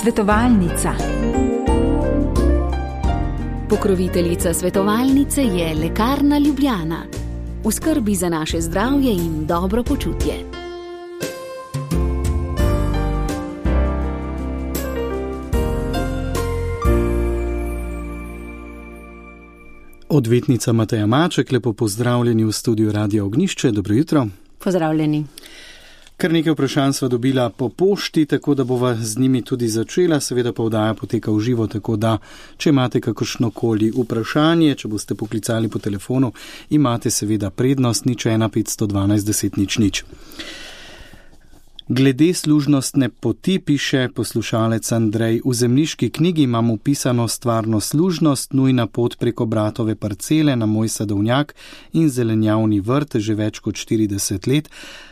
Svetovalnica. Pokroviteljica svetovalnice je Lekarna Ljubljana. V skrbi za naše zdravje in dobro počutje. Odvetnica Mateja Maček, lepo pozdravljeni v studiu Radia Ognjišče. Dobro jutro. Pozdravljeni. Kar nekaj vprašanj sva dobila po pošti, tako da bova z njimi tudi začela. Seveda pa oddaja poteka v živo, tako da, če imate kakršnokoli vprašanje, če boste poklicali po telefonu, imate seveda prednost 01 512 10 00. Glede služnostne poti piše poslušalec Andrej: v zemljiški knjigi imam upisano stvarno služnost, nujna pot preko bratove parcele na moj sadovnjak in zelenjavni vrt že več kot 40 let.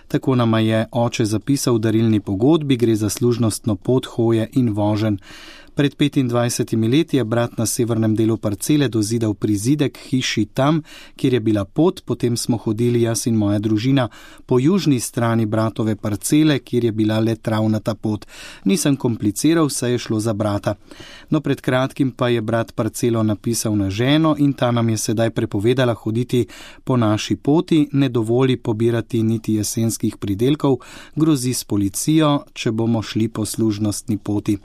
Tako nama je oče zapisal v darilni pogodbi, gre za služnostno pot hoje in voženj. Pred 25 leti je brat na severnem delu parcele dozidal prizidek hiši tam, kjer je bila pot, potem smo hodili jaz in moja družina po južni strani bratove parcele, kjer je bila le travnata pot. Nisem kompliciral, saj je šlo za brata. No, pred kratkim pa je brat parcelo napisal na ženo in ta nam je sedaj prepovedala hoditi po naši poti, ne dovoli pobirati niti jesenskih pridelkov, grozi s policijo, če bomo šli po služnostni poti.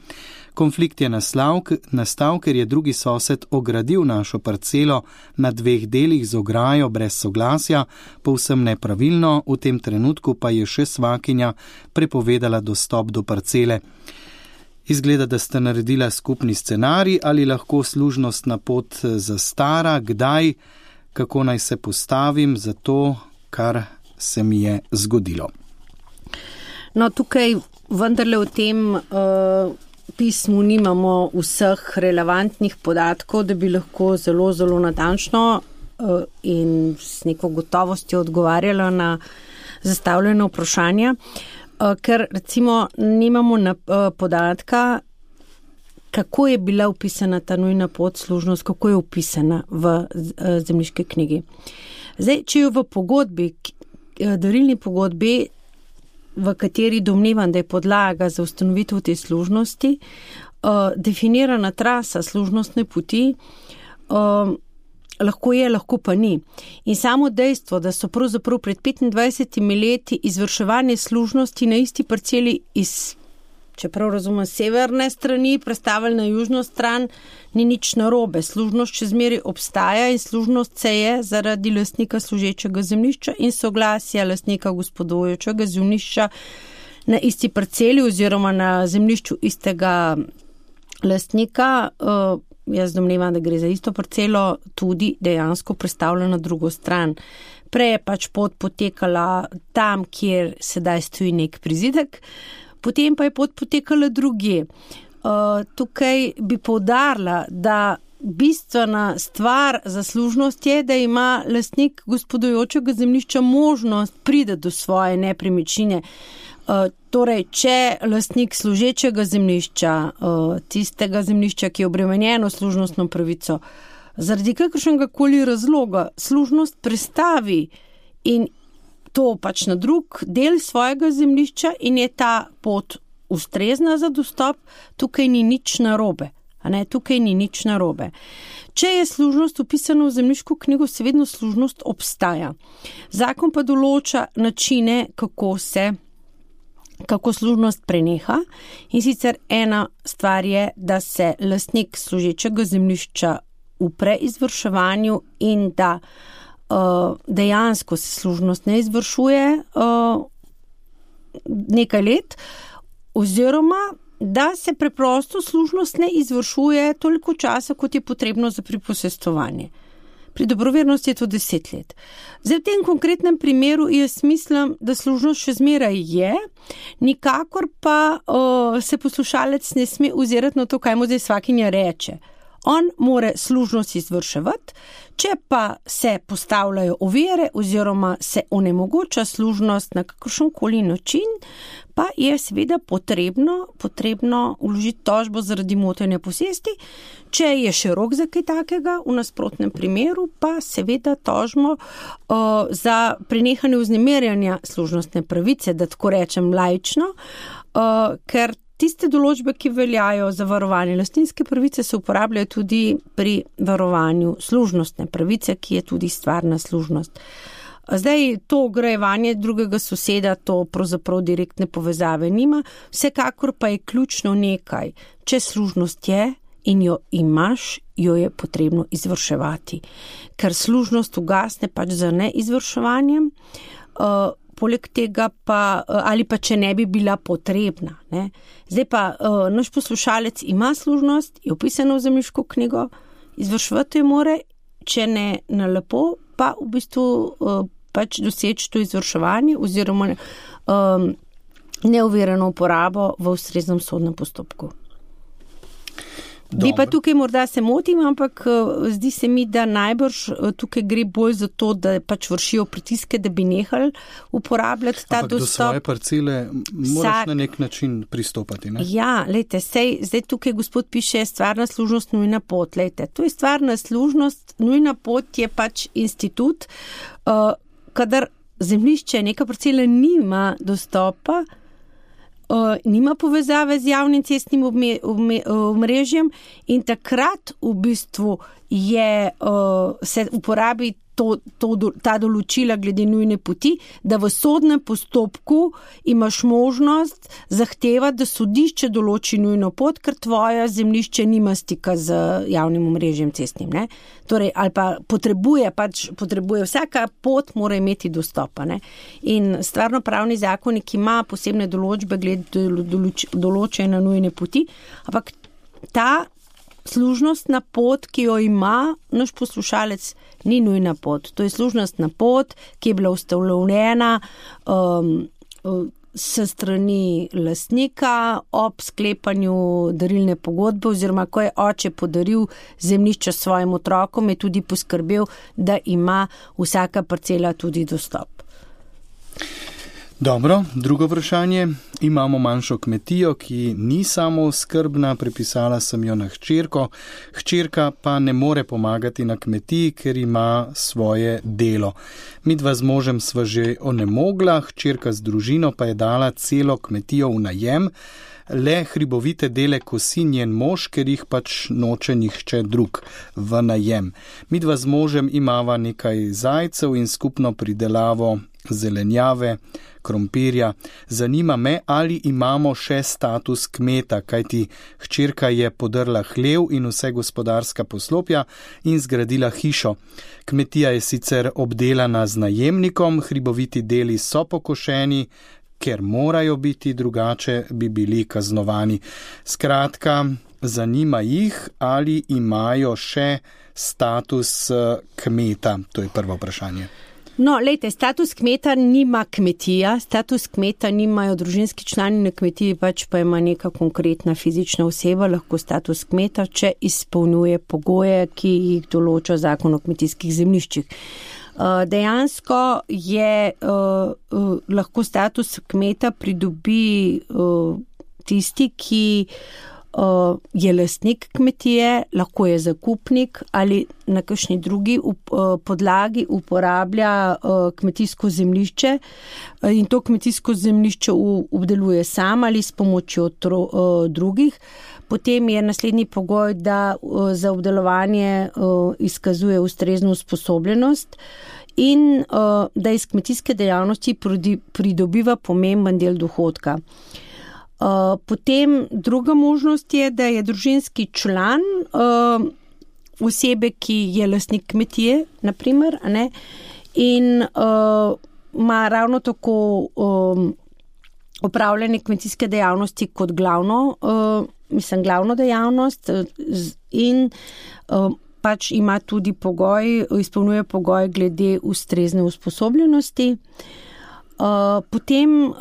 Konflikt je nastal, ker je drugi sosed ogradil našo parcelo na 2 delih z ograjo brez soglasja, povsem nepravilno, v tem trenutku pa je še svakinja prepovedala dostop do parcele. Izgleda, da sta naredila skupni scenarij, ali lahko služnostna pot zastara, kdaj, kako naj se postavim za to, kar se mi je zgodilo. No, tukaj vendarle v tem pismu nimamo vseh relevantnih podatkov, da bi lahko zelo, zelo natančno in s neko gotovostjo odgovarjala na zastavljeno vprašanje, ker recimo nimamo podatka, kako je bila upisana ta nujna pot, služnost, kako je upisana v zemljiški knjigi. Zdaj, če jo v pogodbi, darilni pogodbi, v kateri domnevam, da je podlaga za ustanovitev te služnosti, definirana trasa služnostne poti, lahko je, lahko pa ni. In samo dejstvo, da so pravzaprav pred 25 leti izvrševanje služnosti na isti parceli iz, čeprav razumem, severne strani prestavili na južno stran, ni nič narobe. Služnost še zmeraj obstaja in služnost se je zaradi lastnika služečega zemljišča in soglasja lastnika gospodujočega zemljišča na isti parceli oziroma na zemljišču istega lastnika, jaz domnevam, da gre za isto parcelo, tudi dejansko prestavlja na drugo stran. Prej je pač pot potekala tam, kjer sedaj stoji nek prizidek, potem pa je pot potekala drugje. Tukaj bi poudarila, da bistvena stvar za služnost je, da ima lastnik gospodujočega zemljišča možnost priti do svoje nepremičnine. Torej, če lastnik služečega zemljišča, tistega zemljišča, ki je obremenjeno služnostno pravico, zaradi kakršnega koli razloga služnost prestavi in to pač na drug del svojega zemljišča in je ta pot ustrezna za dostop, tukaj ni nič narobe. Tukaj ni nič narobe. Če je služnost upisana v zemljiško knjigo, seveda služnost obstaja. Zakon pa določa načine, kako služnost preneha, in sicer ena stvar je, da se lastnik služečega zemljišča upre izvrševanju in da dejansko se služnost ne izvršuje nekaj let, oziroma da se preprosto služnost ne izvršuje toliko časa, kot je potrebno za priposestovanje. Pri dobrovernosti je to 10 let. Zdaj, v tem konkretnem primeru jaz mislim, da služnost še zmeraj je, nikakor pa se poslušalec ne sme ozirati na to, kaj mu zdaj svakinja reče. On more služnost izvrševati, če pa se postavljajo ovire oziroma se onemogoča služnost na kakršenkoli način, pa je seveda potrebno vložiti tožbo zaradi motenja posesti. Če je še rok za kaj takega, v nasprotnem primeru pa seveda tožbo za prenehanje vznemirjanja služnostne pravice, da tako rečem laično, ker tiste določbe, ki veljajo za varovanje lastninske pravice, se uporabljajo tudi pri varovanju služnostne pravice, ki je tudi stvarna služnost. Zdaj, to ograjevanje drugega soseda, to pravzaprav direktne povezave nima, vsekakor pa je ključno nekaj. Če služnost je in jo imaš, jo je potrebno izvrševati. Ker služnost ugasne pač za neizvrševanjem, poleg tega pa, ali pa če ne bi bila potrebna. Ne? Zdaj pa naš poslušalec ima služnost, je upisano v zemljiško knjigo, izvrševati jo more, če ne na lepo, pa v bistvu pač doseči to izvrševanje oziroma neovirano uporabo v ustreznem sodnem postopku. Bi pa tukaj morda se motim, ampak zdi se mi, da najbrž tukaj gre bolj za to, da pač vršijo pritiske, da bi nehali uporabljati ta dostop. Do svoje parcele moraš na nek način pristopati, ne? Ja, lejte, zdaj tukaj gospod piše stvarna služnost, nujna pot. Lejte, to je stvarna služnost, nujna pot je pač institut, kadar zemljišče neka parcela nima dostopa, nima povezave z javnim cestnim omrežjem in takrat v bistvu se uporabi ta določila glede nujne poti, da v sodnem postopku imaš možnost zahtevati, da sodišče določi nujno pot, ker tvoje zemljišče nima stika z javnim omrežjem cestnim. Ne? Torej, ali pa potrebuje, vsaka pot mora imeti dostopa. Ne? In stvarnopravni zakonik ima posebne določbe glede določene nujne poti, ampak ta služnostna pot, ki jo ima naš poslušalec, ni nujna pot. To je služnostna pot, ki je bila ustanovljena s strani lastnika ob sklepanju darilne pogodbe oziroma ko je oče podaril zemljišče svojim otrokom, je tudi poskrbel, da ima vsaka parcela tudi dostop. Dobro, drugo vprašanje. Imamo manjšo kmetijo, ki ni samooskrbna, prepisala sem jo na hčerko. Hčerka pa ne more pomagati na kmetiji, ker ima svoje delo. Midva z možem sva že onemogla, hčerka z družino pa je dala celo kmetijo v najem, le hribovite dele kosi njen mož, ker jih pač noče nihče drug v najem. Midva z možem imava nekaj zajcev in skupno pridelavo zelenjave, krompirja. Zanima me, ali imamo še status kmeta, kajti hčerka je podrla hlev in vse gospodarska poslopja in zgradila hišo. Kmetija je sicer obdelana z najemnikom, hriboviti deli so pokošeni, ker morajo biti, drugače bi bili kaznovani. Skratka, zanima jih, ali imajo še status kmeta. To je prvo vprašanje. No, lejte, status kmeta nima kmetija, status kmeta nimajo družinski člani na kmetiji, pač pa ima neka konkretna fizična oseba, lahko status kmeta, če izpolnjuje pogoje, ki jih določa zakon o kmetijskih zemljiščih. Dejansko je lahko status kmeta pridobi tisti, ki je lastnik kmetije, lahko je zakupnik ali na kakšni drugi podlagi uporablja kmetijsko zemljišče in to kmetijsko zemljišče obdeluje sam ali s pomočjo drugih. Potem je naslednji pogoj, da za obdelovanje izkazuje ustrezno usposobljenost in da iz kmetijske dejavnosti pridobiva pomemben del dohodka. Potem druga možnost je, da je družinski član osebe, ki je lastnik kmetije, naprimer, ne, in ima ravno tako opravljanje kmetijske dejavnosti kot glavno dejavnost in pač ima tudi izpolnjuje pogoj glede ustrezne usposobljenosti. Potem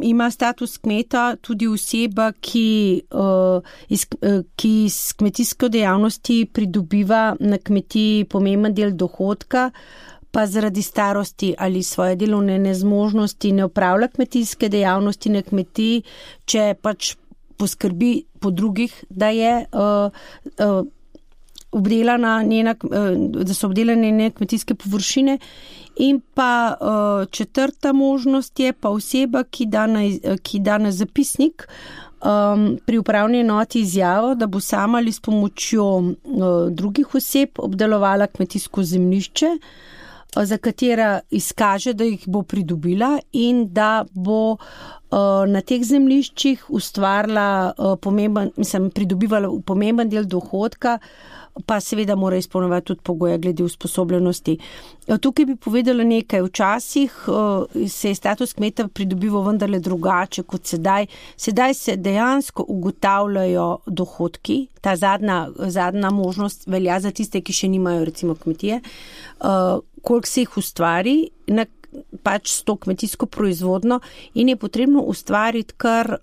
ima status kmeta tudi oseba, ki s kmetijsko dejavnosti pridobiva na kmetiji pomemben del dohodka, pa zaradi starosti ali svoje delovne nezmožnosti ne opravlja kmetijske dejavnosti na kmetiji, če pač poskrbi po drugih, da je da so obdelane njene kmetijske površine. In pa četrta možnost je pa oseba, ki da na zapisnik pri upravni enoti izjavo, da bo sama ali s pomočjo drugih oseb obdelovala kmetijsko zemljišče, za katera izkaže, da jih bo pridobila in da bo na teh zemljiščih ustvarila pridobivala pomemben del dohodka, pa seveda mora izpolnjevati tudi pogoje glede usposobljenosti. Tukaj bi povedala nekaj. Včasih se je status kmeta pridobival vendarle drugače kot sedaj. Sedaj se dejansko ugotavljajo dohodki. Ta zadnja možnost velja za tiste, ki še nimajo recimo kmetije. Koliko se jih ustvari pač s to kmetijsko proizvodno in je potrebno ustvariti kar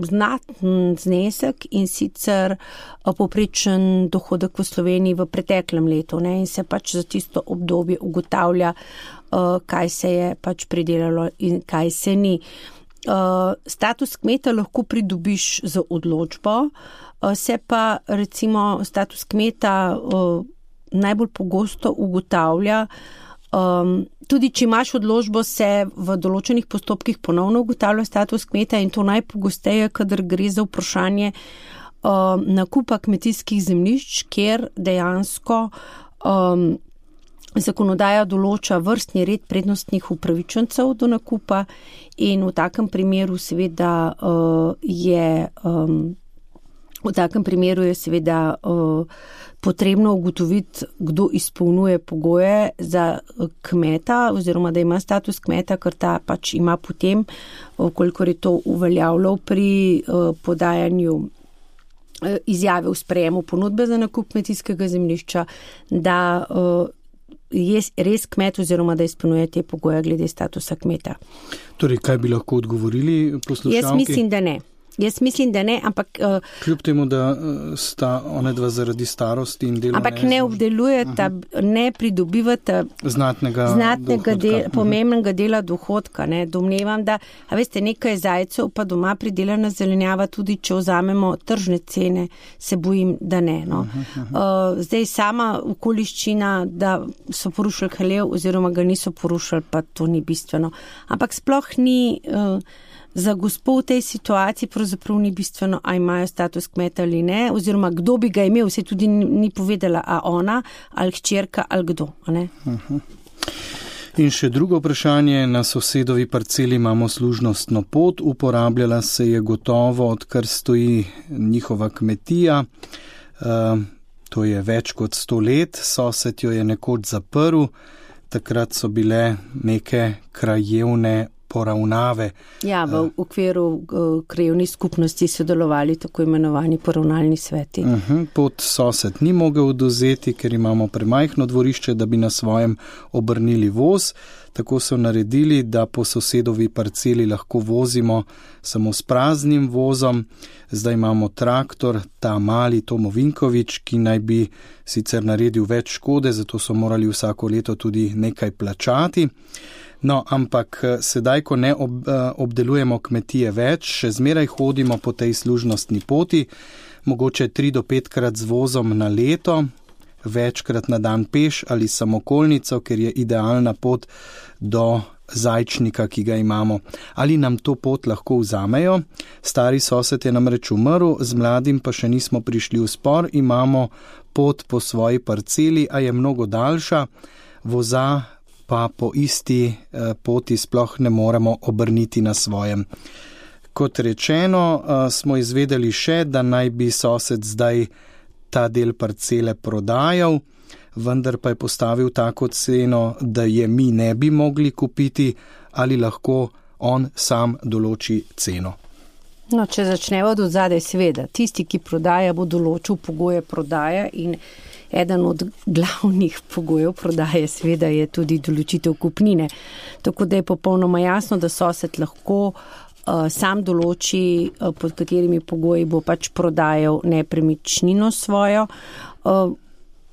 znaten znesek in sicer povprečen dohodek v Sloveniji v preteklem letu, ne, in se pač za tisto obdobje ugotavlja, kaj se je pač pridelalo in kaj se ni. Status kmeta lahko pridobiš z odločbo, se pa recimo status kmeta najbolj pogosto ugotavlja. Tudi če imaš odločbo, se v določenih postopkih ponovno ugotavlja status kmeta in to najpogosteje, kadar gre za vprašanje nakupa kmetijskih zemljišč, kjer dejansko zakonodaja določa vrstni red prednostnih upravičencev do nakupa in v takem primeru je seveda potrebno ugotoviti, kdo izpolnjuje pogoje za kmeta oziroma da ima status kmeta, ker ta pač ima potem, kolikor je to uveljavljal pri podajanju izjave v sprejemu ponudbe za nakup kmetijskega zemljišča, da je res kmet oziroma da izpolnjuje te pogoje glede statusa kmeta. Torej, kaj bi lahko odgovorili poslušalki? Jaz mislim, da ne, ampak... Kljub temu, da sta one dva zaradi starosti in dela... Ampak ne obdelujeta, ne pridobivata pomembnega dela dohodka. Ne. Domnevam, da, nekaj zajcev pa doma pridelana zelenjava, tudi če vzamemo tržne cene, se bojim, da ne. No. Zdaj sama okoliščina, da so porušili hlev oziroma ga niso porušili, pa to ni bistveno. Ampak sploh ni... Za gospo v tej situaciji pravzaprav ni bistveno, a imajo status kmeta ali ne, oziroma kdo bi ga imel, se tudi ni povedala, a ona, ali hčerka, ali kdo. Ne? In še drugo vprašanje, na sosedovi parceli imamo služnostno pot, uporabljala se je gotovo, odkar stoji njihova kmetija, to je več kot 100 let, sosed jo je nekoč zaprl, takrat so bile neke krajevne poravnave. Ja, v okviru krajevnih skupnosti sodelovali tako imenovani poravnalni sveti. Pot sosed ni mogel odvzeti, ker imamo premajhno dvorišče, da bi na svojem obrnili voz. Tako so naredili, da po sosedovi parceli lahko vozimo samo s praznim vozom. Zdaj imamo traktor, ta mali Tomo Vinkovič, ki naj bi sicer naredil več škode, zato so morali vsako leto tudi nekaj plačati. No, ampak sedaj, ko ne obdelujemo kmetije več, še zmeraj hodimo po tej služnostni poti, mogoče 3 do 5 krat z vozom na leto, večkrat na dan peš ali samokolnico, ker je idealna pot do zajčnika, ki ga imamo. Ali nam to pot lahko vzamejo? Stari sosed je namreč umrl, z mladim pa še nismo prišli v spor, imamo pot po svoji parceli, a je mnogo daljša, voza pa po isti poti sploh ne moremo obrniti na svojem. Kot rečeno, smo izvedeli še, da naj bi sosed zdaj ta del parcele prodajal, vendar pa je postavil tako ceno, da je mi ne bi mogli kupiti, ali lahko on sam določi ceno. No, če začneva od odzadaj, seveda, tisti, ki prodaja, bo določil pogoje prodaje in eden od glavnih pogojev prodaje seveda je tudi določitev kupnine. Tako da je popolnoma jasno, da sosed lahko sam določi, pod katerimi pogoji bo pač prodajal nepremičnino svojo.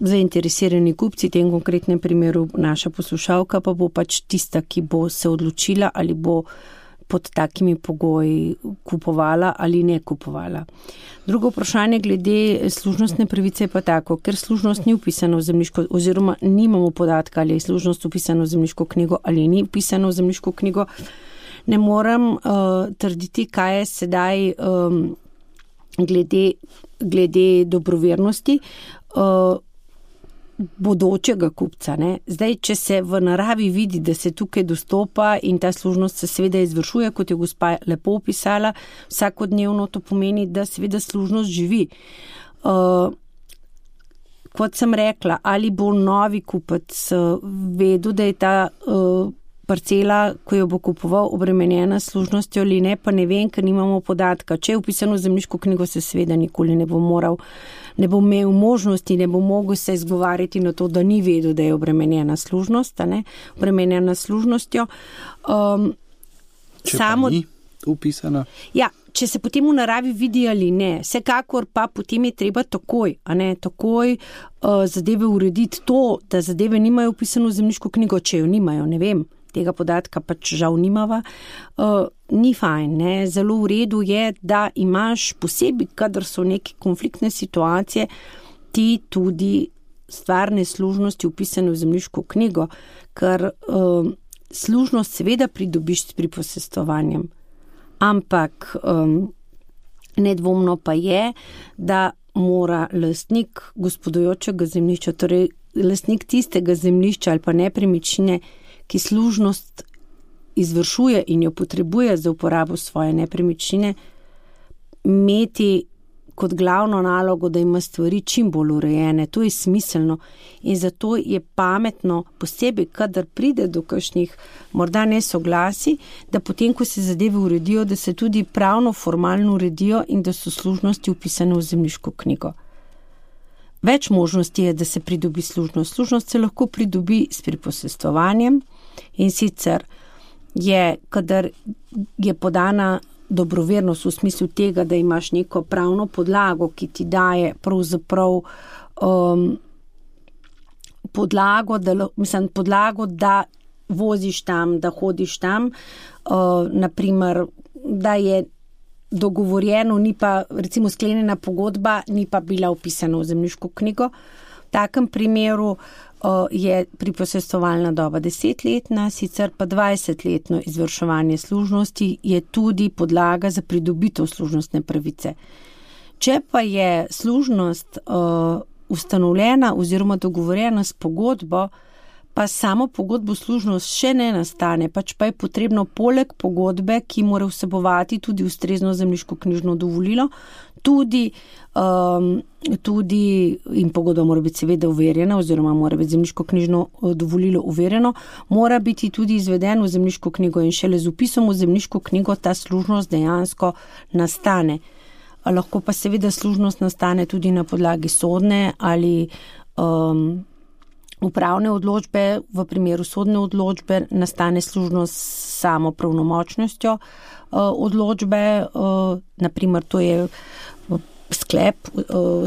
Zainteresirani kupci, v tem konkretnem primeru naša poslušalka, pa bo pač tista, ki bo se odločila, ali bo pod takimi pogoji kupovala ali ne kupovala. Drugo vprašanje glede služnostne pravice je pa tako, ker služnost ni upisana v zemljiško, oziroma nimamo podatka, ali je služnost upisana v zemljiško knjigo ali ni upisana v zemljiško knjigo, ne morem trditi, kaj je sedaj glede dobrovernosti bodočega kupca. Ne? Zdaj, če se v naravi vidi, da se tukaj dostopa in ta služnost se seveda izvršuje, kot je gospa lepo opisala, vsakodnevno to pomeni, da seveda služnost živi. Kot sem rekla, ali bo novi kupec vedel, da je ta parcela, ko jo bo kupoval, obremenjena s služnostjo ali ne, pa ne vem, ker nimamo podatka. Če je upisano v zemljiško knjigo, se seveda nikoli ne bo imel možnosti, ne bo mogel se izgovarjati na to, da ni vedel, da je obremenjena služnost, obremenjena služnostjo. Če pa ni upisana? Ja, če se potem v naravi vidi ali ne, vsekakor pa potem je treba takoj zadeve urediti to, da zadeve nimajo upisano v zemljiško knjigo, če jo nimajo, ne vem, tega podatka pač žal nimava, ni fajn, ne. Zelo v redu je, da imaš posebej, kadar so neke konfliktne situacije, ti tudi stvarne služnosti upisane v zemljiško knjigo, ker služnost seveda pridobiš s priposestovanjem, ampak nedvomno pa je, da mora lastnik gospodujočega zemljišča, torej lastnik tistega zemljišča ali pa nepremičnine, ki služnost izvršuje in jo potrebuje za uporabo svoje nepremičnine, imeti kot glavno nalogo, da ima stvari čim bolj urejene. To je smiselno in zato je pametno, posebej, kadar pride do kakšnih morda nesoglasi, da potem, ko se zadeve uredijo, da se tudi pravno, formalno uredijo in da so služnosti upisane v zemljiško knjigo. Več možnosti je, da se pridobi služnost. Služnost se lahko pridobi s priposestovanjem in sicer je, kadar je podana dobrovernost v smislu tega, da imaš neko pravno podlago, ki ti daje pravzaprav podlago, da voziš tam, da hodiš tam, naprimer, da je dogovorjeno, ni pa recimo sklenjena pogodba, ni pa bila upisana v zemljiško knjigo. V takem primeru je priposestovalna doba 10-letna, sicer pa 20-letno izvrševanje služnosti je tudi podlaga za pridobitev služnostne pravice. Če pa je služnost ustanovljena oziroma dogovorjena s pogodbo, pa samo pogodbo služnost še ne nastane, pač pa je potrebno poleg pogodbe, ki mora vsebovati tudi ustrezno zemljiško knjižno dovolilo, tudi in pogodba mora biti seveda overjena oziroma mora biti zemljiško knjižno dovolilo overjeno, mora biti tudi izvedeno v zemljiško knjigo in šele z vpisom v zemljiško knjigo ta služnost dejansko nastane. Lahko pa seveda služnost nastane tudi na podlagi sodne ali upravne odločbe. V primeru sodne odločbe nastane služnost samo pravnomočnostjo odločbe, naprimer to je sklep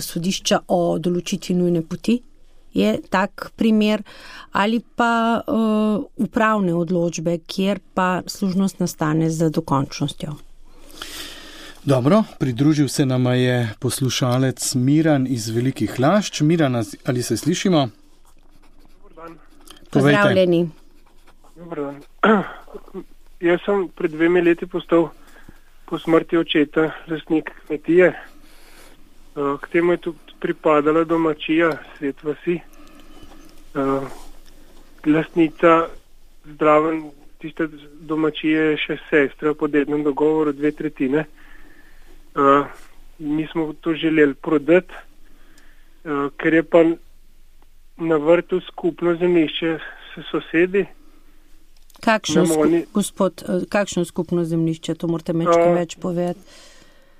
sodišča o določitvi nujne poti, je tak primer, ali pa upravne odločbe, kjer pa služnost nastane z dokončnostjo. Dobro, pridružil se nama je poslušalec Miran iz Velikih Lašč. Miran, ali se slišimo? Pozdravljeni. Dobar dan. Jaz sem pred 2 leti postal po smrti očeta lastnik kmetije. K temu je tudi pripadala domačija Svet vasi. Lastnica zdraven tiste domačije je še sestra po dednem dogovoru 2/3. Mi smo to želeli prodati, ker je pa na vrtu skupno zemljišče s sosedi. Kakšno skupno zemljišče? To morate več povedati.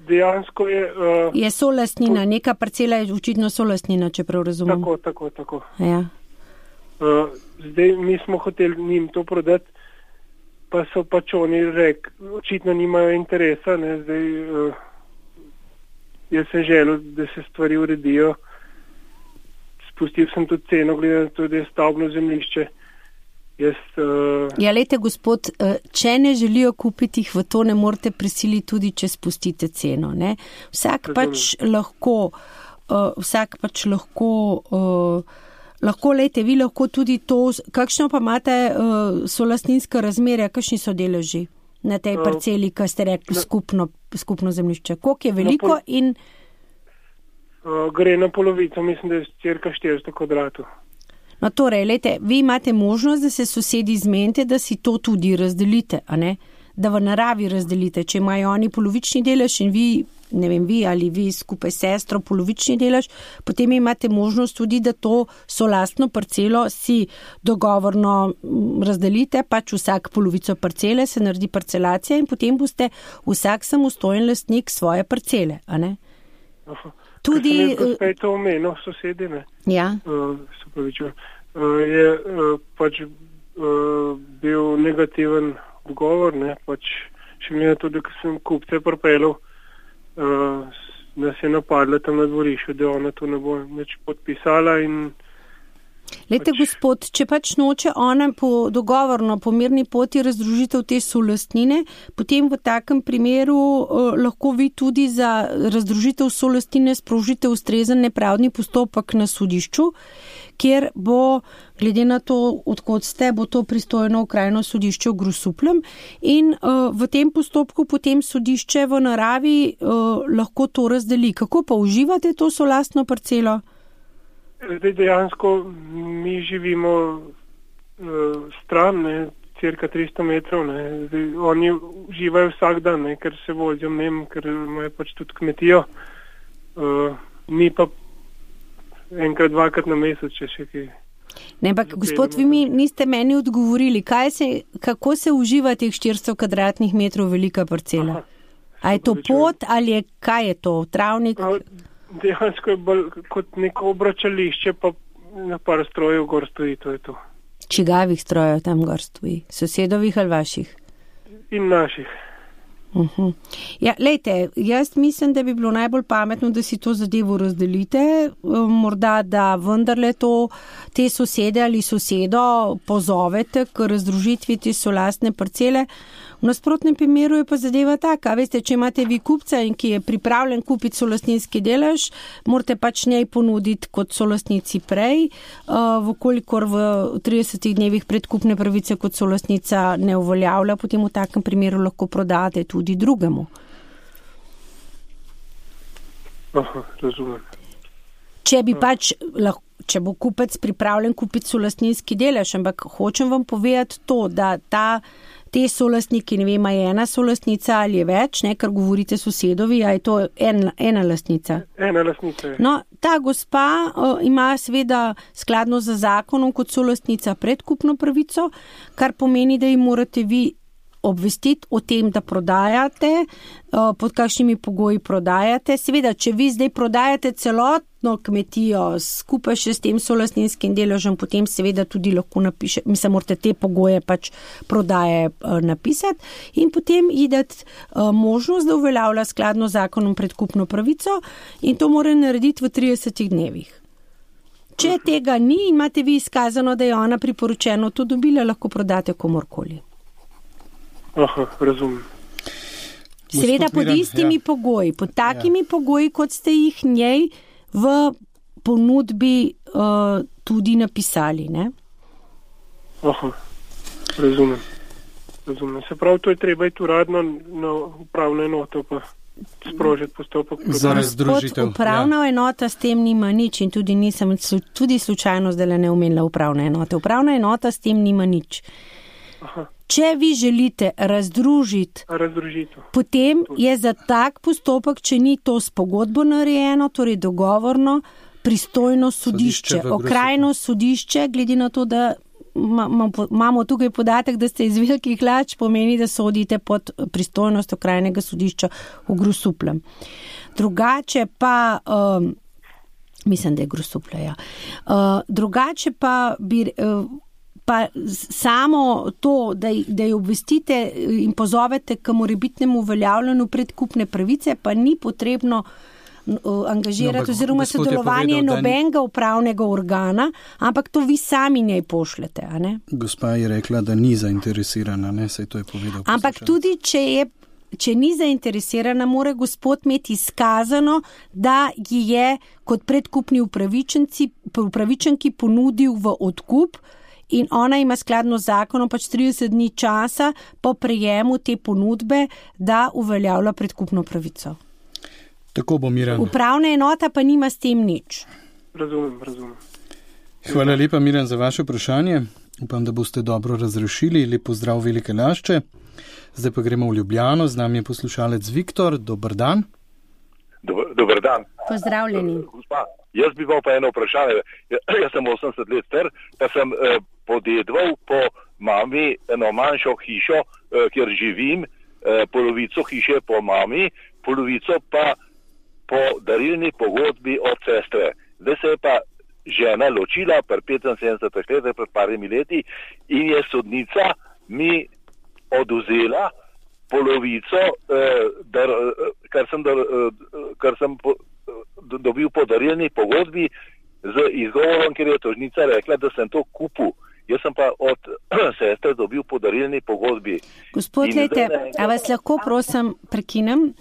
Dejansko je... Je solastnina, neka parcela je očitno solastnina, če prav razumem. Tako. Ja. Zdaj mi smo hoteli njim to prodati, pa so pač oni rekli, očitno nimajo interesa, ne, zdaj jaz sem želel, da se stvari uredijo. Spustil sem tudi ceno, glede na to, da je stavbno zemljišče. Ja, lejte, gospod, če ne želijo kupiti jih, v to ne morete prisiliti tudi, če spustite ceno, ne? Vsak pač lahko, lejte, vi lahko tudi to, kakšno pa imate solastninska razmerja, kakšni so deleži na tej parceli, ki ste rekli skupno zemljišče? Koliko je veliko in... Gre na polovico, mislim, da je cirka 400 kvadratov. No, torej, lejte, vi imate možnost, da se sosedi zmenite, da si to tudi razdelite, a ne? Da v naravi razdelite. Če imajo oni polovični delež in vi, ne vem, vi ali vi skupaj s sestro polovični delež, potem imate možnost tudi, da to solastno parcelo si dogovorno razdelite, pač vsak polovico parcele, se naredi parcelacija in potem boste vsak samostojen lastnik svoje parcele, a ne? Aha. Tudi... Kaj to omenil, sosedi, ne? Ja. Se pravičujem. Je pač bil negativen odgovor, ne? Pač še glede tudi, ko sem kupce pripeljal, nas je napadla tam na dvorišču, da ona to ne bo nič podpisala in... Lejte, gospod, če pač noče ona po dogovorno, po mirni poti razdružitev te solastnine, potem v takem primeru lahko vi tudi za razdružitev solastnine sprožite ustrezen nepravdni postopek na sodišču, kjer bo, glede na to, odkot ste, bo to pristojno okrajno sodišče v Grosupljem in v tem postopku potem sodišče v naravi lahko to razdeli. Kako pa uživate to solastno parcelo? Zdaj dejansko mi živimo stran, ne, cirka 300 metrov, ne. Zdaj, oni uživajo vsak dan, ne, ker se vozijo mnem, ker imajo pač tudi kmetijo. Mi pa enkrat, dvakrat na mesec, če še kaj. Ne, ampak gospod, vi mi niste meni odgovorili, kako se uživa teh 400 kvadratnih metrov velika parcela? A je to pot ali kaj je to, travnik? Dejansko je bolj kot neko obračališče, pa na par strojev gor stoji, to je to. Čigavih strojev tam gor stoji? Sosedovih ali vaših? In naših. Ja, lejte, jaz mislim, da bi bilo najbolj pametno, da si to zadevo razdelite, morda, da vendarle te sosede ali sosedo pozovete k razdružitvi te solastne parcele. V nasprotnem primeru je pa zadeva taka, veste, če imate vi kupca in ki je pripravljen kupiti solastninski delež, morate pač njej ponuditi kot solastnici prej, vkolikor v 30 dnevih predkupne pravice kot solastnica ne uveljavlja, potem v takem primeru lahko prodate tudi drugemu. Aha, razumem. Če bi pač če bo kupec pripravljen kupiti solastninski delež, ampak hočem vam povedati to, da te solastniki, ne vem, je ena solastnica ali je več, ne, ker govorite sosedovi, a je to ena lastnica? Ena lastnica je. No, ta gospa ima seveda skladno z zakonom kot solastnica predkupno pravico, kar pomeni, da ji morate vi obvestiti o tem, da prodajate, pod kakšnimi pogoji prodajate. Seveda, če vi zdaj prodajate celotno kmetijo skupaj še s tem solastninskim deležem, potem seveda tudi lahko morate te pogoje pač prodaje napisati in potem ji dati možnost, da uveljavlja skladno zakonom predkupno pravico in to mora narediti v 30 dnevih. Če tega ni in imate vi izkazano, da je ona priporočeno to dobila, lahko prodate komorkoli. Aha, razumem. Seveda pod istimi pogoji, pod takimi pogoji, kot ste jih njej v ponudbi tudi napisali, ne? Aha, razumem. Se pravi, to je treba iti uradno na upravno enoto pa sprožiti postopek. Za razdružitev. Upravna enota s tem nima nič in tudi slučajno zdaj ne omenila upravna enota. Upravna enota s tem nima nič. Aha. Če vi želite razdružiti, potem je za tak postopek, če ni to s pogodbo narejeno, torej dogovorno, pristojno sodišče, okrajno sodišče, glede na to, da imamo tukaj podatek, da ste iz Velikih Lač, pomeni, da sodite pod pristojnost okrajnega sodišča v Grosupljem. Drugače pa, mislim, da je Grosuplje, ja. Drugače pa bi... Pa samo to, da jo obvestite in pozovete k morebitnemu uveljavljanju predkupne pravice, pa ni potrebno angažirati oziroma sodelovanje nobenega upravnega organa, ampak to vi sami njej pošljete, a ne? Gospa je rekla, da ni zainteresirana, ne, saj to je povedal. Ampak tudi, če ni zainteresirana, mora gospod imeti izkazano, da ji je kot predkupni upravičenki ponudil v odkup in ona ima skladno z zakonom 30 dni časa po prejemu te ponudbe, da uveljavlja predkupno pravico. Tako bo, Miran. Upravna enota pa nima s tem nič. Razumem. Hvala lepa, Miran, za vaše vprašanje. Upam, da boste dobro razrešili. Lep pozdrav Velike Lašče. Zdaj pa gremo v Ljubljano. Z nami je poslušalec Viktor. Dober dan. Dober dan. Pozdravljeni. Gospa, jaz bi imel pa eno vprašanje. Jaz sem 80 let star, pa sem podedoval po mami eno manjšo hišo, kjer živim, polovico hiše po mami, polovico pa po darilni pogodbi od sestre. Zdaj se je pa žena ločila pri 75 letih, pred parimi leti, in je sodnica mi oduzela polovico, kar sem dobil po darilni pogodbi z izgovorom, ker je tožnica rekla, da sem to kupil. Jaz sem pa od sestre dobil po darilni pogodbi. Gospod, lejte, a vas lahko prosim prekinem?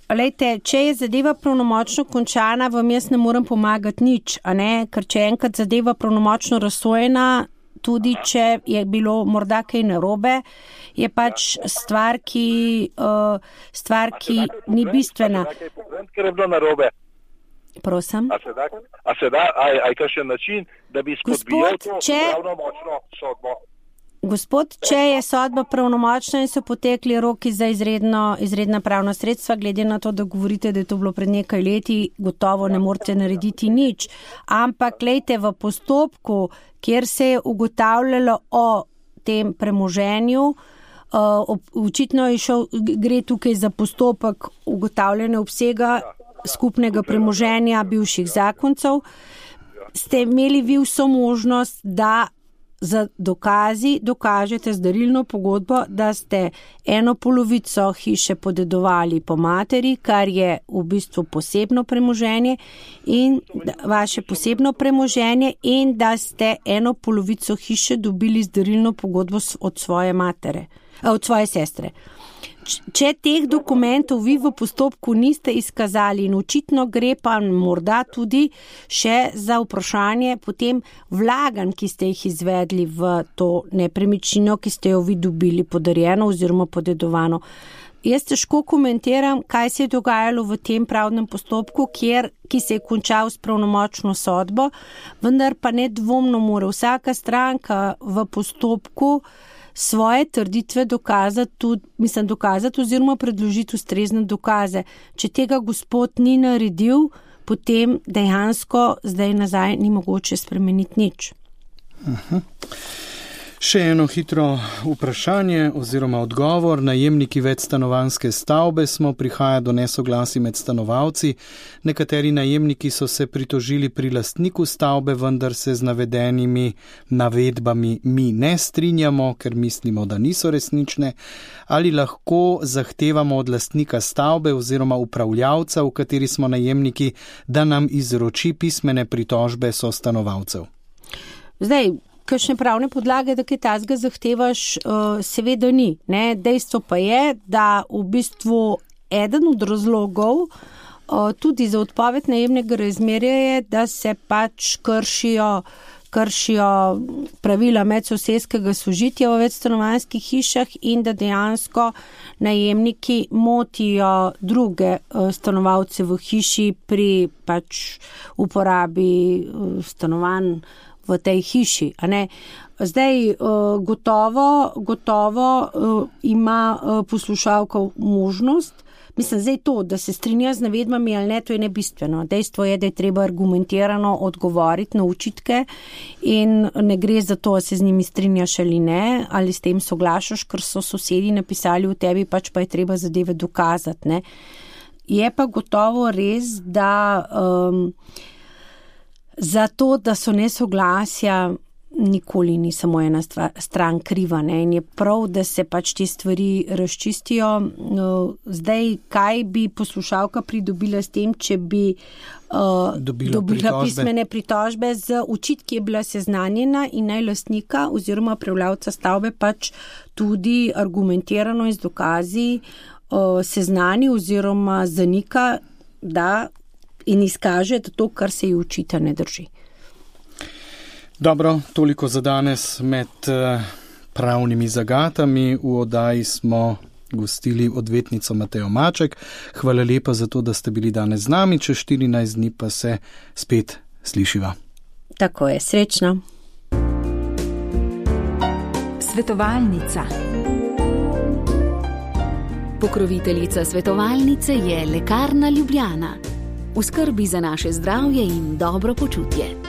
Lejte, če je zadeva pravnomočno končana, vam jaz ne morem pomagati nič, a ne? Ker če je enkrat zadeva pravnomočno razsojena, tudi če je bilo morda kaj narobe, je pač stvar, ki ni bistvena. Ker je bilo narobe. Prosim. A se da, aj kakšen način, da bi spodbijal to pravnomočno sodbo? Gospod, če je sodba pravnomočna in so potekli roki za izredna pravna sredstva, glede na to, da govorite, da je to bilo pred nekaj leti, gotovo ne morete narediti nič. Ampak, glejte, v postopku, kjer se je ugotavljalo o tem premoženju, očitno gre tukaj za postopek ugotavljanja obsega skupnega premoženja bivših zakoncev, ste imeli vi vso možnost, da za dokažete z darilno pogodbo, da ste eno polovico hiše podedovali po materi, kar je v bistvu posebno premoženje in vaše posebno premoženje in da ste eno polovico hiše dobili z darilno pogodbo od svoje sestre. Če teh dokumentov vi v postopku niste izkazali in očitno gre pa morda tudi še za vprašanje potem vlaganj, ki ste jih izvedli v to nepremičnino, ki ste jo vi dobili podarjeno oziroma podedovano. Jaz težko komentiram, kaj se je dogajalo v tem pravnem postopku, ki se je končal s pravnomočno sodbo, vendar pa nedvomno mora vsaka stranka v postopku svoje trditve dokazati oziroma predložiti ustrezne dokaze. Če tega gospod ni naredil, potem dejansko zdaj nazaj ni mogoče spremeniti nič. Še eno hitro vprašanje oziroma odgovor. Najemniki večstanovanjske stavbe smo, prihaja do nesoglasij med stanovalci. Nekateri najemniki so se pritožili pri lastniku stavbe, vendar se z navedenimi navedbami mi ne strinjamo, ker mislimo, da niso resnične. Ali lahko zahtevamo od lastnika stavbe oziroma upravljavca, v kateri smo najemniki, da nam izroči pismene pritožbe sostanovalcev? Zdaj, kakšne pravne podlage, da kaj tazga zahtevaš, seveda ni. Ne? Dejstvo pa je, da v bistvu eden od razlogov tudi za odpoved najemnega razmerja je, da se pač kršijo pravila medsosedskega sožitja v večstanovanjskih hišah in da dejansko najemniki motijo druge stanovalce v hiši pri pač uporabi stanovanj v tej hiši, a ne. Zdaj, gotovo ima poslušalka možnost, mislim, zdaj to, da se strinja z navedbami ali ne, to je nebistveno. Dejstvo je, da je treba argumentirano odgovoriti na očitke in ne gre za to, da se z njimi strinjaš ali ne, ali s tem soglašaš, ker so sosedi napisali v tebi, pač pa je treba zadeve dokazati, ne. Je pa gotovo res, da za to, da so nesoglasja nikoli ni samo ena stran kriva, ne? In je prav, da se pač te stvari razčistijo. Zdaj, kaj bi poslušalka pridobila s tem, če bi dobila pismene pritožbe z očitki, je bila seznanjena in naj lastnika oziroma prevladavca stavbe pač tudi argumentirano in z dokazi seznani oziroma zanika, da in izkaže, da to, kar se ji očita, ne drži. Dobro, toliko za danes med pravnimi zagatami. V oddaji smo gostili odvetnico Matejo Maček. Hvala lepa za to, da ste bili danes z nami. Čez 14 dni pa se spet slišiva. Tako je, srečno. Svetovalnica. Pokroviteljica svetovalnice je Lekarna Ljubljana. V skrbi za naše zdravje in dobro počutje.